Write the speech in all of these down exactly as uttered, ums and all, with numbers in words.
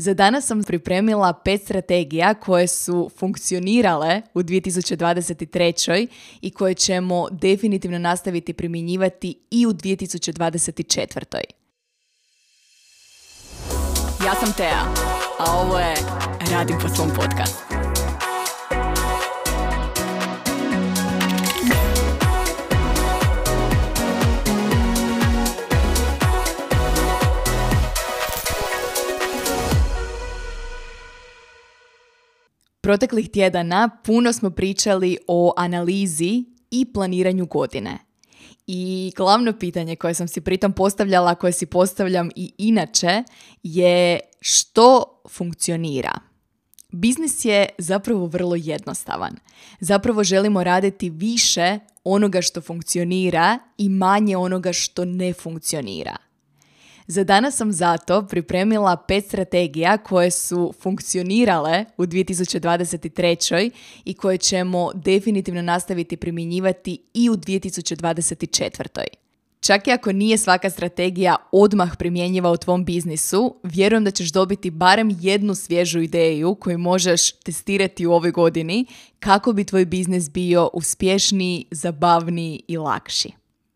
Za danas sam pripremila pet strategija koje su funkcionirale u dvije tisuće dvadeset trećoj i koje ćemo definitivno nastaviti primjenjivati i u dvije tisuće dvadeset četvrtoj. Ja sam Tea, a ovo je Radim po svom podcastu. Proteklih tjedana puno smo pričali o analizi i planiranju godine. I glavno pitanje koje sam si pritom postavljala, koje si postavljam i inače, je što funkcionira. Biznis je zapravo vrlo jednostavan. Zapravo želimo raditi više onoga što funkcionira i manje onoga što ne funkcionira. Za danas sam zato pripremila pet strategija koje su funkcionirale u dvije tisuće dvadeset trećoj i koje ćemo definitivno nastaviti primjenjivati i u dvije tisuće dvadeset četvrtoj. Čak i ako nije svaka strategija odmah primjenjiva u tvom biznisu, vjerujem da ćeš dobiti barem jednu svježu ideju koju možeš testirati u ovoj godini kako bi tvoj biznis bio uspješniji, zabavniji i lakši.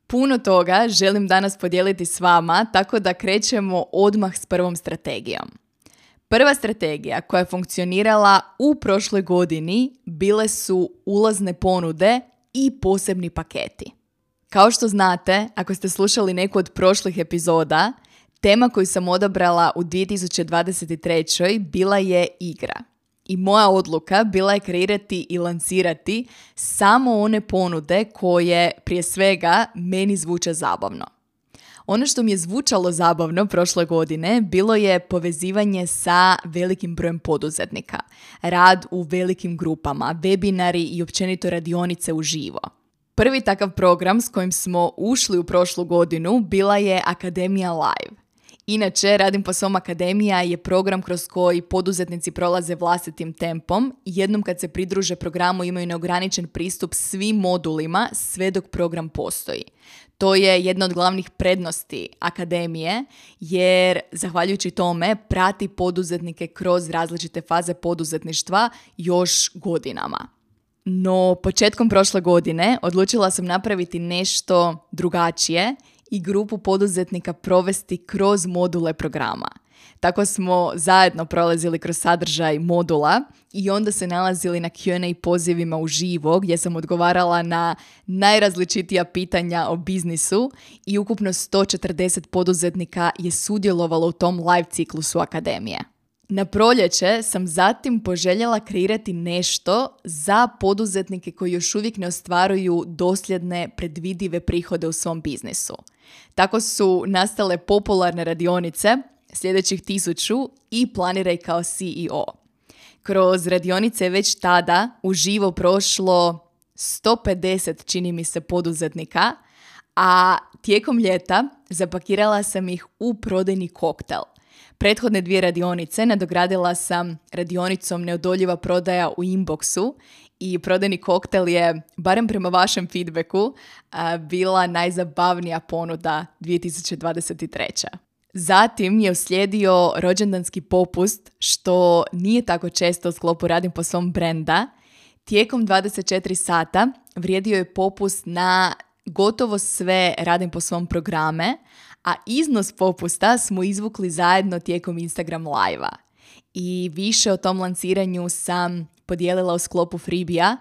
Puno toga želim danas podijeliti s vama, tako da krećemo odmah s prvom strategijom. Prva strategija koja je funkcionirala u prošloj godini bile su ulazne ponude i posebni paketi. Kao što znate, ako ste slušali neku od prošlih epizoda, tema koju sam odabrala u dvije tisuće dvadeset trećoj bila je igra. I moja odluka bila je kreirati i lansirati samo one ponude koje prije svega meni zvuče zabavno. Ono što mi je zvučalo zabavno prošle godine bilo je povezivanje sa velikim brojem poduzetnika, rad u velikim grupama, webinari i općenito radionice uživo. Prvi takav program s kojim smo ušli u prošlu godinu bila je Akademija Live. Inače, Radim po svom Akademija je program kroz koji poduzetnici prolaze vlastitim tempom i jednom kad se pridruže programu imaju neograničen pristup svim modulima sve dok program postoji. To je jedna od glavnih prednosti Akademije jer, zahvaljujući tome, prati poduzetnike kroz različite faze poduzetništva još godinama. No, početkom prošle godine odlučila sam napraviti nešto drugačije i grupu poduzetnika provesti kroz module programa. Tako smo zajedno prolazili kroz sadržaj modula i onda se nalazili na Q and A pozivima uživo gdje sam odgovarala na najrazličitija pitanja o biznisu i ukupno sto četrdeset poduzetnika je sudjelovalo u tom live ciklusu Akademije. Na proljeće sam zatim poželjela kreirati nešto za poduzetnike koji još uvijek ne ostvaruju dosljedne, predvidive prihode u svom biznisu. Tako su nastale popularne radionice, sljedećih tisuću i Planiraj kao C E O. Kroz radionice je već tada uživo prošlo sto pedeset, čini mi se, poduzetnika, a tijekom ljeta zapakirala sam ih u prodajni koktel. Prethodne dvije radionice nadogradila sam radionicom Neodoljiva prodaja u inboxu i prodajni koktel je, barem prema vašem feedbacku, bila najzabavnija ponuda dvije tisuće dvadeset treće. Zatim je uslijedio rođendanski popust, što nije tako često u sklopu Radim po svom brenda. Tijekom dvadeset četiri sata vrijedio je popust na gotovo sve Radim po svom programe, a iznos popusta smo izvukli zajedno tijekom Instagram live-a. I više o tom lanciranju sam podijelila u sklopu freebija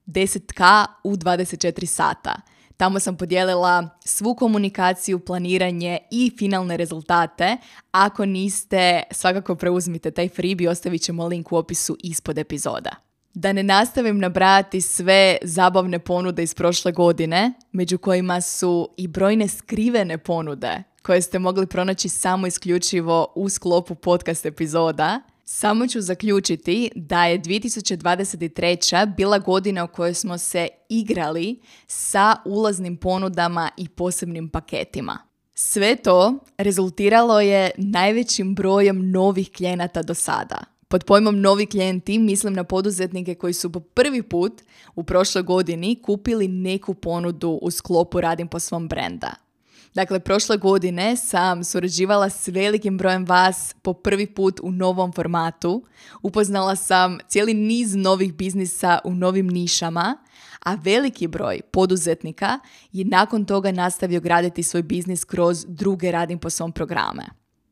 deset ka u dvadeset četiri sata. Tamo sam podijelila svu komunikaciju, planiranje i finalne rezultate. Ako niste, svakako preuzmite taj freebie, ostavit ćemo link u opisu ispod epizoda. Da ne nastavim nabrajati sve zabavne ponude iz prošle godine, među kojima su i brojne skrivene ponude koje ste mogli pronaći samo isključivo u sklopu podcast epizoda, samo ću zaključiti da je dvije tisuće dvadeset treća bila godina u kojoj smo se igrali sa ulaznim ponudama i posebnim paketima. Sve to rezultiralo je najvećim brojem novih klijenata do sada. Pod pojmom novi klijenti mislim na poduzetnike koji su po prvi put u prošloj godini kupili neku ponudu u sklopu Radim po svom brenda. Dakle, prošle godine sam surađivala s velikim brojem vas po prvi put u novom formatu. Upoznala sam cijeli niz novih biznisa u novim nišama, a veliki broj poduzetnika je nakon toga nastavio graditi svoj biznis kroz druge Radim po svom programe.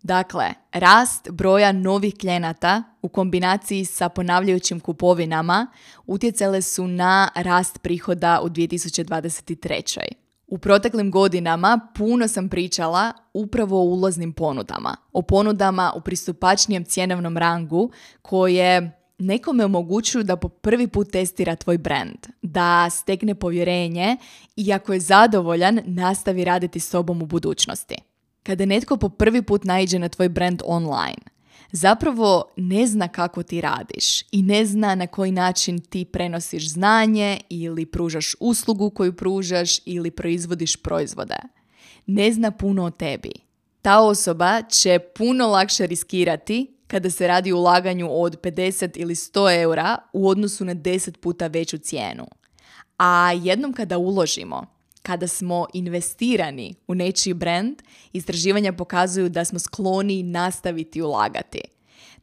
Dakle, rast broja novih klijenata u kombinaciji sa ponavljajućim kupovinama utjecale su na rast prihoda u dvije tisuće dvadeset trećoj. U proteklim godinama puno sam pričala upravo o ulaznim ponudama, o ponudama u pristupačnijem cjenovnom rangu koje nekome omogućuju da po prvi put testira tvoj brand, da stekne povjerenje i ako je zadovoljan, nastavi raditi s tobom u budućnosti. Kada netko po prvi put naiđe na tvoj brand online, zapravo ne zna kako ti radiš i ne zna na koji način ti prenosiš znanje ili pružaš uslugu koju pružaš ili proizvodiš proizvode. Ne zna puno o tebi. Ta osoba će puno lakše riskirati kada se radi o ulaganju od pedeset ili sto eura u odnosu na deset puta veću cijenu. A jednom kada uložimo, kada smo investirani u nečiji brand, istraživanja pokazuju da smo skloni nastaviti ulagati.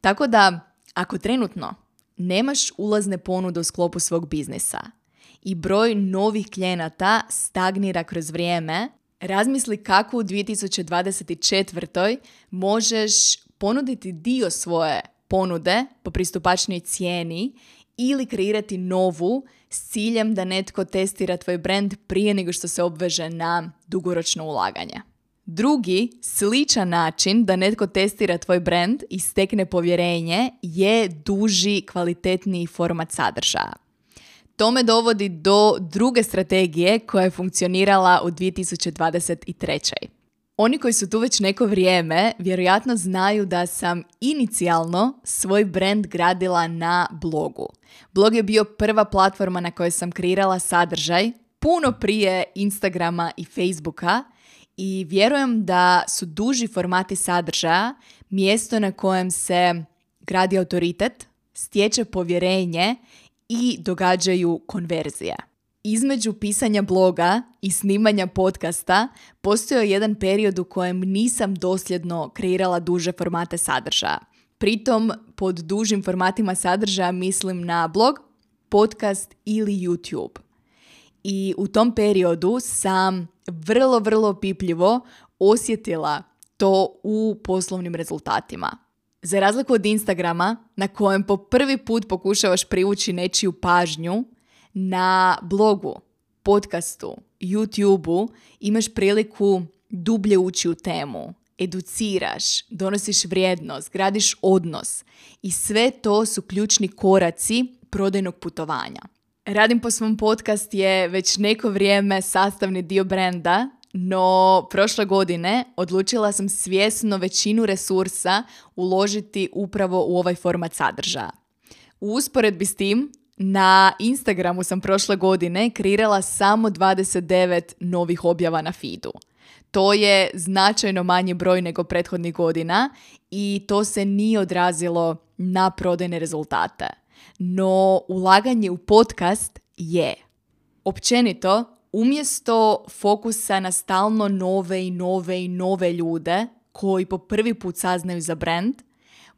Tako da, ako trenutno nemaš ulazne ponude u sklopu svog biznisa i broj novih klijenata stagnira kroz vrijeme, razmisli kako u dvije tisuće dvadeset četvrtoj možeš ponuditi dio svoje ponude po pristupačnoj cijeni ili kreirati novu s ciljem da netko testira tvoj brand prije nego što se obveže na dugoročno ulaganje. Drugi, sličan način da netko testira tvoj brand i stekne povjerenje je duži, kvalitetniji format sadržaja. To me dovodi do druge strategije koja je funkcionirala u dvije tisuće dvadeset trećoj. Oni koji su tu već neko vrijeme vjerojatno znaju da sam inicijalno svoj brand gradila na blogu. Blog je bio prva platforma na kojoj sam kreirala sadržaj puno prije Instagrama i Facebooka i vjerujem da su duži formati sadržaja mjesto na kojem se gradi autoritet, stječe povjerenje i događaju konverzije. Između pisanja bloga i snimanja podcasta postojao jedan period u kojem nisam dosljedno kreirala duže formate sadržaja. Pritom pod dužim formatima sadržaja mislim na blog, podcast ili YouTube. I u tom periodu sam vrlo, vrlo pipljivo osjetila to u poslovnim rezultatima. Za razliku od Instagrama, na kojem po prvi put pokušavaš privući nečiju pažnju, na blogu, podcastu, YouTubeu imaš priliku dublje ući u temu, educiraš, donosiš vrijednost, gradiš odnos i sve to su ključni koraci prodajnog putovanja. Radim po svom podcast je već neko vrijeme sastavni dio brenda, no prošle godine odlučila sam svjesno većinu resursa uložiti upravo u ovaj format sadržaja. U usporedbi s tim, na Instagramu sam prošle godine kreirala samo dvadeset devet novih objava na feedu. To je značajno manji broj nego prethodnih godina i to se nije odrazilo na prodajne rezultate. No ulaganje u podcast je. Općenito, umjesto fokusa na stalno nove i nove i nove ljude koji po prvi put saznaju za brand,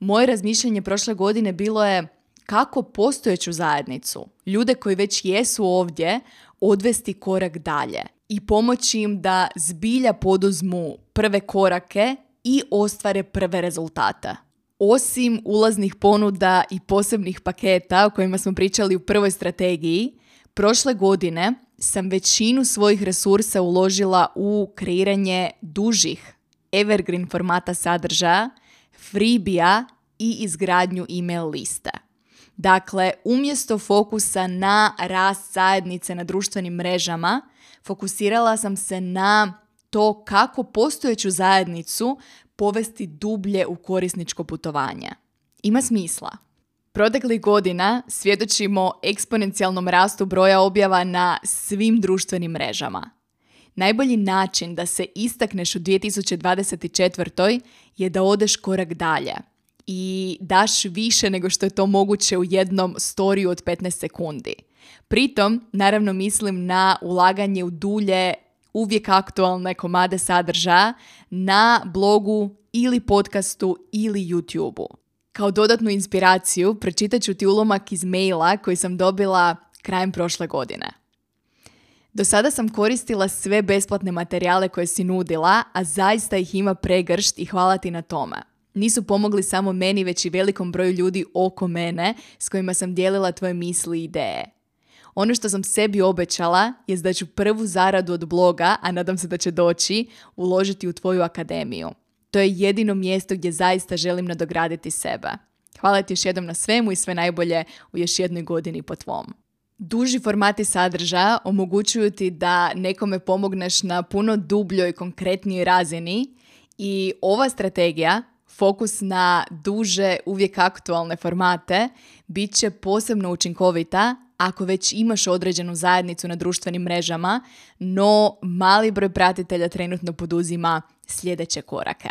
moje razmišljanje prošle godine bilo je kako postojeću zajednicu, ljude koji već jesu ovdje, odvesti korak dalje i pomoći im da zbilja poduzmu prve korake i ostvare prve rezultate. Osim ulaznih ponuda i posebnih paketa o kojima smo pričali u prvoj strategiji, prošle godine sam većinu svojih resursa uložila u kreiranje dužih evergreen formata sadržaja, freebija i izgradnju email liste. Dakle, umjesto fokusa na rast zajednice na društvenim mrežama, fokusirala sam se na to kako postojeću zajednicu povesti dublje u korisničko putovanje. Ima smisla. Proteklih godina svjedočimo eksponencijalnom rastu broja objava na svim društvenim mrežama. Najbolji način da se istakneš u dvije tisuće dvadeset četvrtoj je da odeš korak dalje i daš više nego što je to moguće u jednom storiju od petnaest sekundi. Pritom, naravno mislim na ulaganje u dulje uvijek aktualne komade sadržaja na blogu ili podcastu ili YouTubeu. Kao dodatnu inspiraciju pročitat ću ti ulomak iz maila koji sam dobila krajem prošle godine. Do sada sam koristila sve besplatne materijale koje si nudila, a zaista ih ima pregršt i hvala ti na tome. Nisu pomogli samo meni, već i velikom broju ljudi oko mene s kojima sam dijelila tvoje misli i ideje. Ono što sam sebi obećala je da ću prvu zaradu od bloga, a nadam se da će doći, uložiti u tvoju akademiju. To je jedino mjesto gdje zaista želim nadograditi sebe. Hvala ti još jednom na svemu i sve najbolje u još jednoj godini po tvom. Duži formati sadržaja omogućuju ti da nekome pomogneš na puno dubljoj i konkretnijoj razini i ova strategija, fokus na duže, uvijek aktualne formate, bit će posebno učinkovita ako već imaš određenu zajednicu na društvenim mrežama, no mali broj pratitelja trenutno poduzima sljedeće korake.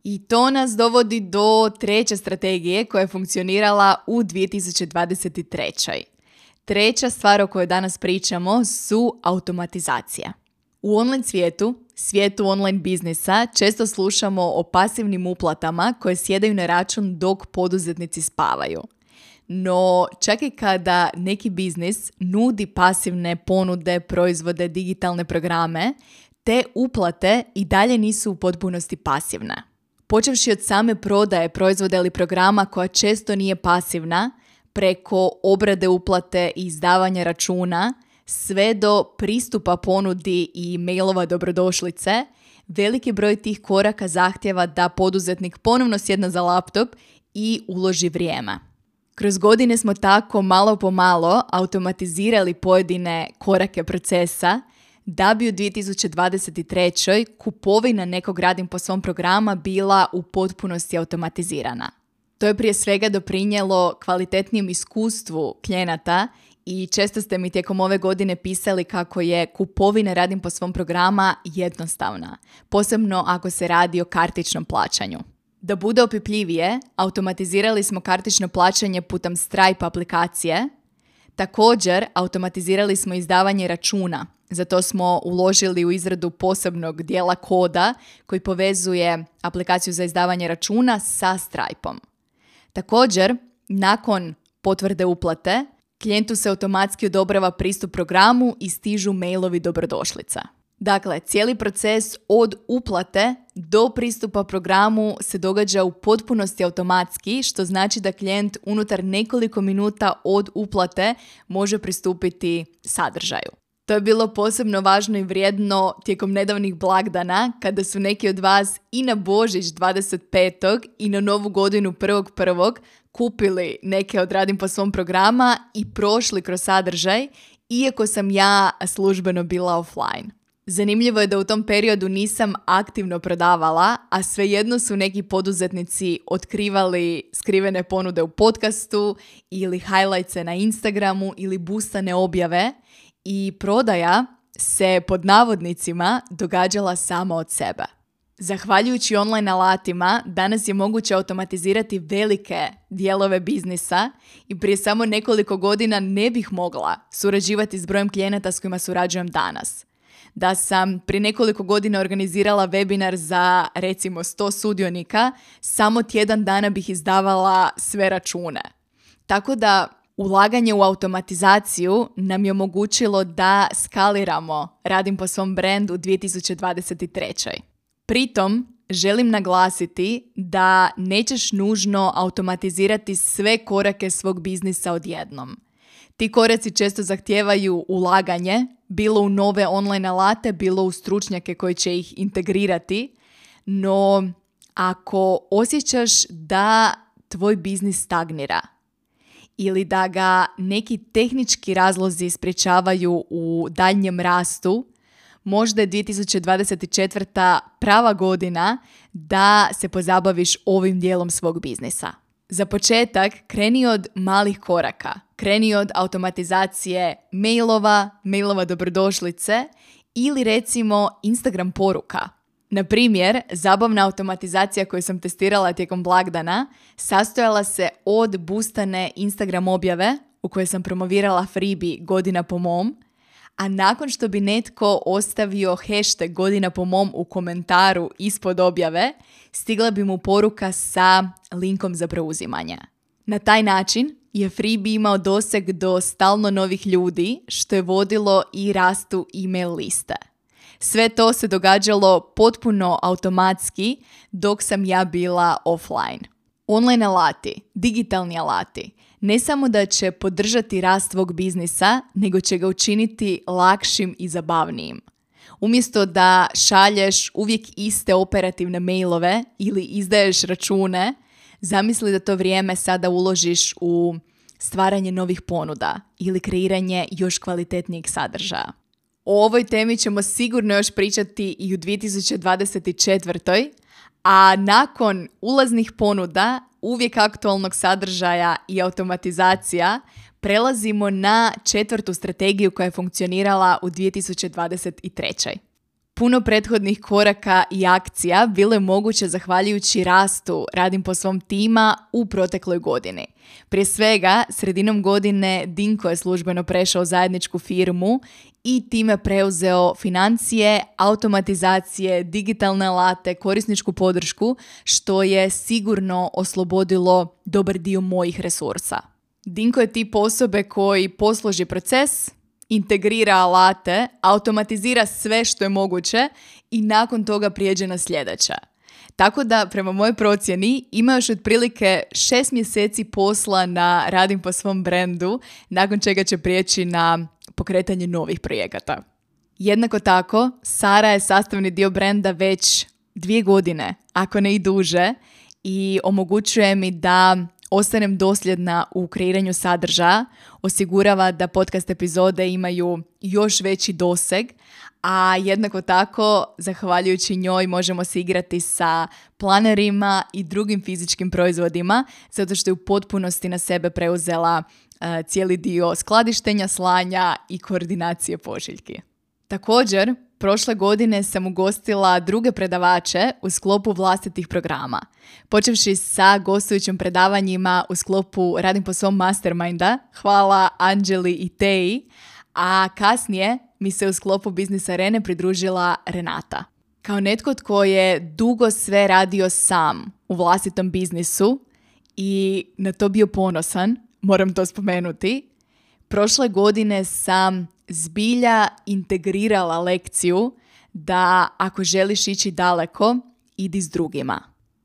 I to nas dovodi do treće strategije koja je funkcionirala u dvije tisuće dvadeset trećoj. Treća stvar o kojoj danas pričamo su automatizacije. U online svijetu, svijetu online biznisa, često slušamo o pasivnim uplatama koje sjedaju na račun dok poduzetnici spavaju. No, čak i kada neki biznis nudi pasivne ponude, proizvode, digitalne programe, te uplate i dalje nisu u potpunosti pasivne. Počevši od same prodaje proizvoda ili programa koja često nije pasivna, preko obrade uplate i izdavanja računa, sve do pristupa ponudi i mailova dobrodošlice, veliki broj tih koraka zahtjeva da poduzetnik ponovno sjedne za laptop i uloži vrijeme. Kroz godine smo tako malo po malo automatizirali pojedine korake procesa da bi u dvije tisuće dvadeset trećoj kupovina nekog radim po svom programa bila u potpunosti automatizirana. To je prije svega doprinijelo kvalitetnijem iskustvu klijenata i često ste mi tijekom ove godine pisali kako je kupovina radim po svom programa jednostavna, posebno ako se radi o kartičnom plaćanju. Da bude opipljivije, automatizirali smo kartično plaćanje putem Stripe aplikacije. Također, automatizirali smo izdavanje računa. Zato smo uložili u izradu posebnog dijela koda koji povezuje aplikaciju za izdavanje računa sa Stripeom. Također, nakon potvrde uplate, klijentu se automatski odobrava pristup programu i stižu mailovi dobrodošlica. Dakle, cijeli proces od uplate do pristupa programu se događa u potpunosti automatski, što znači da klijent unutar nekoliko minuta od uplate može pristupiti sadržaju. To je bilo posebno važno i vrijedno tijekom nedavnih blagdana, kada su neki od vas i na Božić dvadeset petog i na Novu godinu prvog prvog kupili neke od radim po svom programa i prošli kroz sadržaj, iako sam ja službeno bila offline. Zanimljivo je da u tom periodu nisam aktivno prodavala, a svejedno su neki poduzetnici otkrivali skrivene ponude u podcastu ili highlightse na Instagramu ili boostane objave i prodaja se pod navodnicima događala sama od sebe. Zahvaljujući online alatima, danas je moguće automatizirati velike dijelove biznisa i prije samo nekoliko godina ne bih mogla surađivati s brojem klijenata s kojima surađujem danas. Da sam prije nekoliko godina organizirala webinar za recimo sto sudionika, samo tjedan dana bih izdavala sve račune. Tako da ulaganje u automatizaciju nam je omogućilo da skaliramo radim po svom brendu u dvije tisuće dvadeset trećoj. Pritom želim naglasiti da nećeš nužno automatizirati sve korake svog biznisa odjednom. Ti koraci često zahtijevaju ulaganje, bilo u nove online alate, bilo u stručnjake koji će ih integrirati, no ako osjećaš da tvoj biznis stagnira ili da ga neki tehnički razlozi sprječavaju u daljnjem rastu, možda je dvije tisuće dvadeset četvrta prava godina da se pozabaviš ovim dijelom svog biznisa. Za početak, kreni od malih koraka. Kreni od automatizacije mailova, mailova dobrodošlice ili recimo Instagram poruka. Na primjer, zabavna automatizacija koju sam testirala tijekom blagdana sastojala se od boostane Instagram objave u kojoj sam promovirala freebie godina po mom, a nakon što bi netko ostavio hashtag godina po mom u komentaru ispod objave, stigla bi mu poruka sa linkom za preuzimanje. Na taj način je Freebie imao doseg do stalno novih ljudi, što je vodilo i rastu email liste. Sve to se događalo potpuno automatski dok sam ja bila offline. Online alati, digitalni alati, ne samo da će podržati rast tvog biznisa, nego će ga učiniti lakšim i zabavnijim. Umjesto da šalješ uvijek iste operativne mailove ili izdaješ račune, zamisli da to vrijeme sada uložiš u stvaranje novih ponuda ili kreiranje još kvalitetnijeg sadržaja. O ovoj temi ćemo sigurno još pričati i u dvije tisuće dvadeset četvrtoj. A nakon ulaznih ponuda, uvijek aktualnog sadržaja i automatizacija, prelazimo na četvrtu strategiju koja je funkcionirala u dvije tisuće dvadeset trećoj. Puno prethodnih koraka i akcija bilo je moguće zahvaljujući rastu Radim po svom tima u protekloj godini. Prije svega, sredinom godine Dinko je službeno prešao u zajedničku firmu i time preuzeo financije, automatizacije, digitalne alate, korisničku podršku, što je sigurno oslobodilo dobar dio mojih resursa. Dinko je tip osobe koji posloži proces, integrira alate, automatizira sve što je moguće i nakon toga prijeđe na sljedeće. Tako da, prema mojoj procjeni, ima još otprilike šest mjeseci posla na Radim po svom brendu, nakon čega će prijeći na pokretanje novih projekata. Jednako tako, Sara je sastavni dio brenda već dvije godine, ako ne i duže, i omogućuje mi da ostanem dosljedna u kreiranju sadržaja, osigurava da podcast epizode imaju još veći doseg, a jednako tako, zahvaljujući njoj, možemo se igrati sa planerima i drugim fizičkim proizvodima, zato što je u potpunosti na sebe preuzela uh, cijeli dio skladištenja, slanja i koordinacije pošiljki. Također, prošle godine sam ugostila druge predavače u sklopu vlastitih programa, počevši sa gostujućim predavanjima u sklopu Radim po svom masterminda, hvala Anđeli i Teji, a kasnije mi se u sklopu Biznis Arene pridružila Renata. Kao netko tko je dugo sve radio sam u vlastitom biznisu i na to bio ponosan, moram to spomenuti, prošle godine sam zbilja integrirala lekciju da ako želiš ići daleko, idi s drugima.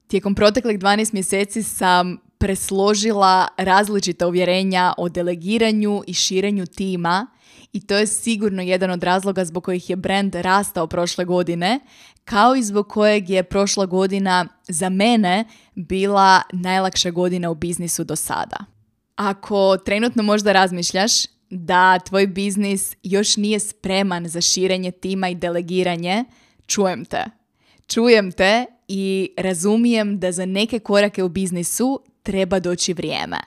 Tijekom proteklih dvanaest mjeseci sam presložila različita uvjerenja o delegiranju i širenju tima i to je sigurno jedan od razloga zbog kojih je brand rastao prošle godine, kao i zbog kojeg je prošla godina za mene bila najlakša godina u biznisu do sada. Ako trenutno možda razmišljaš da tvoj biznis još nije spreman za širenje tima i delegiranje, čujem te. Čujem te i razumijem da za neke korake u biznisu treba doći vrijeme.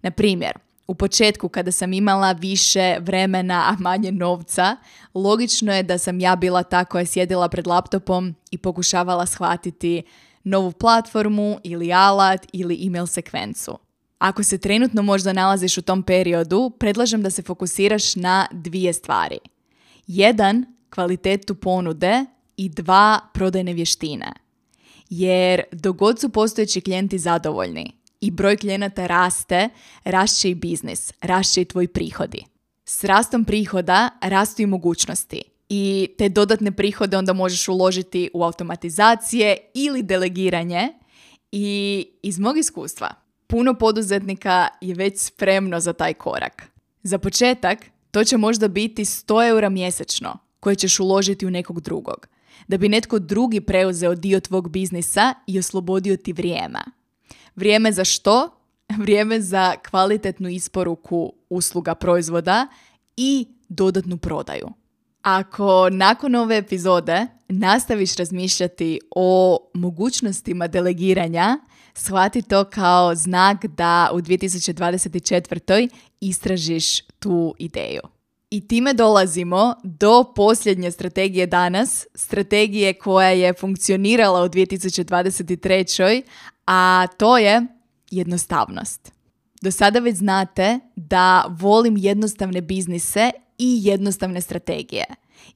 Na primjer, u početku kada sam imala više vremena, a manje novca, logično je da sam ja bila ta koja je sjedila pred laptopom i pokušavala shvatiti novu platformu ili alat ili email sekvencu. Ako se trenutno možda nalaziš u tom periodu, predlažem da se fokusiraš na dvije stvari. Jedan, kvalitetu ponude i dva, prodajne vještine. Jer dok god su postojeći klijenti zadovoljni i broj klijenata raste, rašće i biznis, rašće i tvoji prihodi. S rastom prihoda rastu i mogućnosti i te dodatne prihode onda možeš uložiti u automatizacije ili delegiranje i iz mog iskustva puno poduzetnika je već spremno za taj korak. Za početak, to će možda biti sto eura mjesečno koje ćeš uložiti u nekog drugog, da bi netko drugi preuzeo dio tvog biznisa i oslobodio ti vrijeme. Vrijeme za što? Vrijeme za kvalitetnu isporuku usluga proizvoda i dodatnu prodaju. Ako nakon ove epizode nastaviš razmišljati o mogućnostima delegiranja, shvati to kao znak da u dvije tisuće dvadeset četvrtoj istražiš tu ideju. I time dolazimo do posljednje strategije danas, strategije koja je funkcionirala u dvije tisuće dvadeset trećoj, a to je jednostavnost. Do sada već znate da volim jednostavne biznise i jednostavne strategije.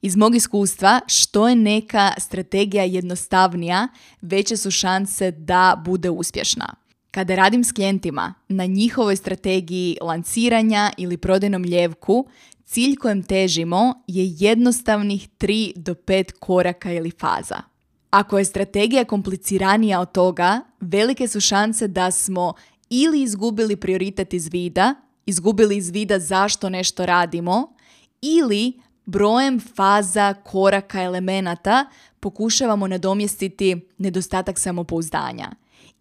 Iz mog iskustva, što je neka strategija jednostavnija, veće su šanse da bude uspješna. Kada radim s klijentima na njihovoj strategiji lanciranja ili prodajnom ljevku, cilj kojem težimo je jednostavnih tri do pet koraka ili faza. Ako je strategija kompliciranija od toga, velike su šanse da smo ili izgubili prioritet iz vida, izgubili iz vida zašto nešto radimo, ili brojem faza, koraka, elemenata pokušavamo nadomjestiti nedostatak samopouzdanja.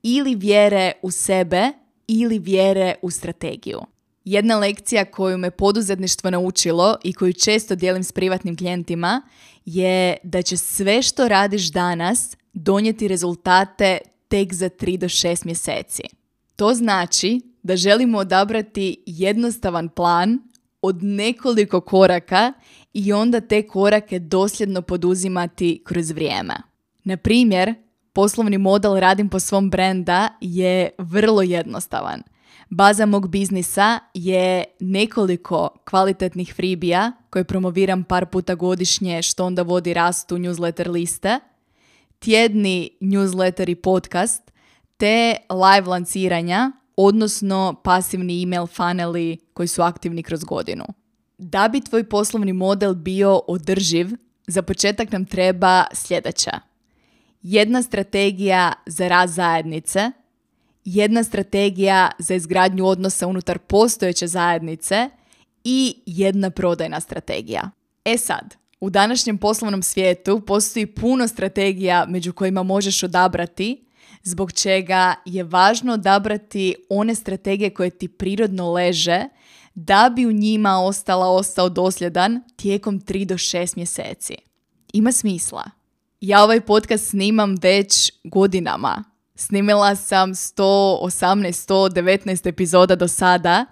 Ili vjere u sebe, ili vjere u strategiju. Jedna lekcija koju me poduzetništvo naučilo i koju često dijelim s privatnim klijentima je da će sve što radiš danas donijeti rezultate tek za tri do šest mjeseci. To znači da želimo odabrati jednostavan plan od nekoliko koraka i onda te korake dosljedno poduzimati kroz vrijeme. Na primjer, poslovni model Radim po svom brenda je vrlo jednostavan. Baza mog biznisa je nekoliko kvalitetnih freebija koje promoviram par puta godišnje, što onda vodi rastu newsletter liste, tjedni newsletter i podcast, te live lanciranja, odnosno pasivni email funneli koji su aktivni kroz godinu. Da bi tvoj poslovni model bio održiv, za početak nam treba sljedeća. Jedna strategija za rast zajednice, jedna strategija za izgradnju odnosa unutar postojeće zajednice i jedna prodajna strategija. E sad, u današnjem poslovnom svijetu postoji puno strategija među kojima možeš odabrati, zbog čega je važno odabrati one strategije koje ti prirodno leže da bi u njima ostala ostao dosljedan tijekom tri do šest mjeseci. Ima smisla. Ja ovaj podcast snimam već godinama. Snimila sam sto osamnaest, sto devetnaest epizoda do sada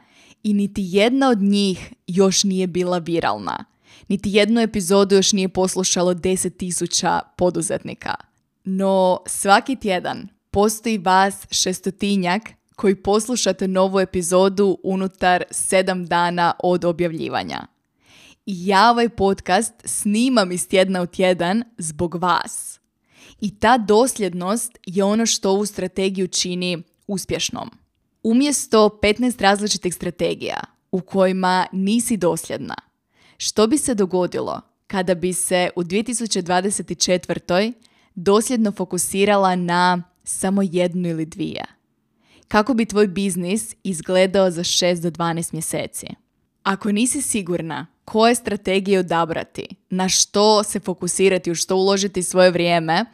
i niti jedna od njih još nije bila viralna. Niti jednu epizodu još nije poslušalo deset tisuća poduzetnika. No svaki tjedan postoji vas šestotinjak koji poslušate novu epizodu unutar sedam dana od objavljivanja. I ja ovaj podcast snimam iz tjedna u tjedan zbog vas. I ta dosljednost je ono što ovu strategiju čini uspješnom. Umjesto petnaest različitih strategija u kojima nisi dosljedna, što bi se dogodilo kada bi se u dvije tisuće dvadeset četvrtoj dosljedno fokusirala na samo jednu ili dvije? Kako bi tvoj biznis izgledao za šest do dvanaest mjeseci? Ako nisi sigurna koje strategije odabrati, na što se fokusirati, u što uložiti svoje vrijeme,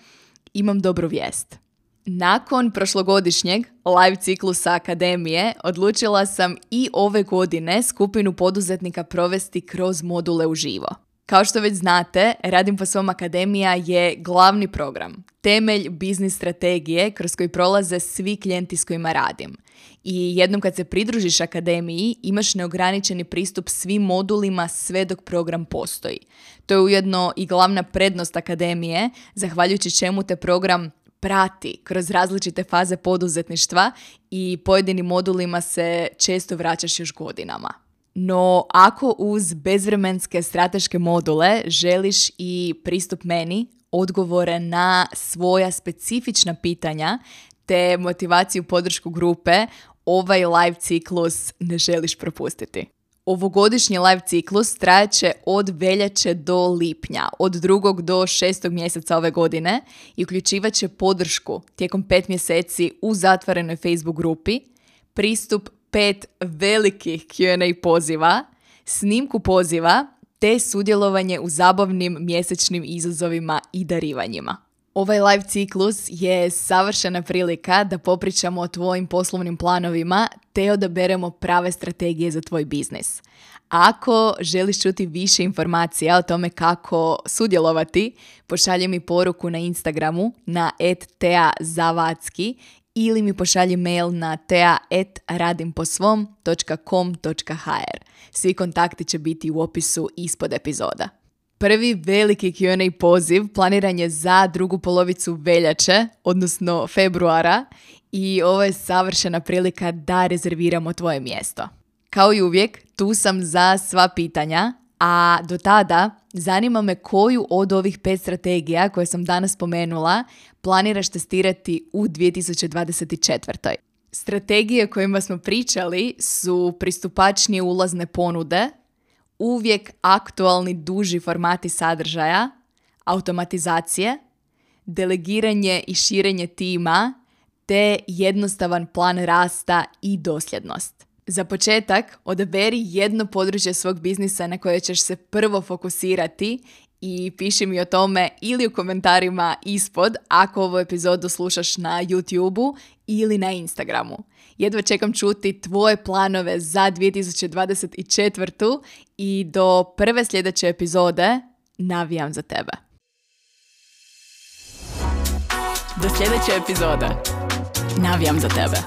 imam dobru vijest. Nakon prošlogodišnjeg live ciklusa Akademije odlučila sam i ove godine skupinu poduzetnika provesti kroz module uživo. Kao što već znate, Radim po svom Akademija je glavni program, temelj biznis strategije kroz koji prolaze svi klijenti s kojima radim. I jednom kad se pridružiš Akademiji, imaš neograničeni pristup svim modulima sve dok program postoji. To je ujedno i glavna prednost Akademije, zahvaljujući čemu te program prati kroz različite faze poduzetništva i pojedinim modulima se često vraćaš još godinama. No, ako uz bezvremenske strateške module želiš i pristup meni, odgovore na svoja specifična pitanja te motivaciju podršku grupe, ovaj live ciklus ne želiš propustiti. Ovogodišnji live ciklus trajaće od veljače do lipnja, od drugog do šestog mjeseca ove godine i uključivat će podršku tijekom pet mjeseci u zatvorenoj Facebook grupi, pristup pet velikih Q and A poziva, snimku poziva te sudjelovanje u zabavnim mjesečnim izazovima i darivanjima. Ovaj live ciklus je savršena prilika da popričamo o tvojim poslovnim planovima te odaberemo prave strategije za tvoj biznis. Ako želiš čuti više informacija o tome kako sudjelovati, pošalji mi poruku na Instagramu na et tea zavadski ili mi pošalji mail na tea et radimposvom točka com točka ha er. Svi kontakti će biti u opisu ispod epizoda. Prvi veliki Q and A poziv planiran je za drugu polovicu veljače, odnosno februara, i ovo je savršena prilika da rezerviramo tvoje mjesto. Kao i uvijek, tu sam za sva pitanja. A do tada zanima me koju od ovih pet strategija koje sam danas spomenula planiraš testirati u dvije tisuće dvadeset četvrtoj. Strategije kojima smo pričali su pristupačnije ulazne ponude, uvijek aktualni duži formati sadržaja, automatizacije, delegiranje i širenje tima, te jednostavan plan rasta i dosljednost. Za početak, odaberi jedno područje svog biznisa na koje ćeš se prvo fokusirati i piši mi o tome ili u komentarima ispod ako ovu epizodu slušaš na YouTubeu ili na Instagramu. Jedva čekam čuti tvoje planove za dvije tisuće dvadeset četvrtu i do prve sljedeće epizode navijam za tebe. Do sljedeće epizode. Navijam za tebe.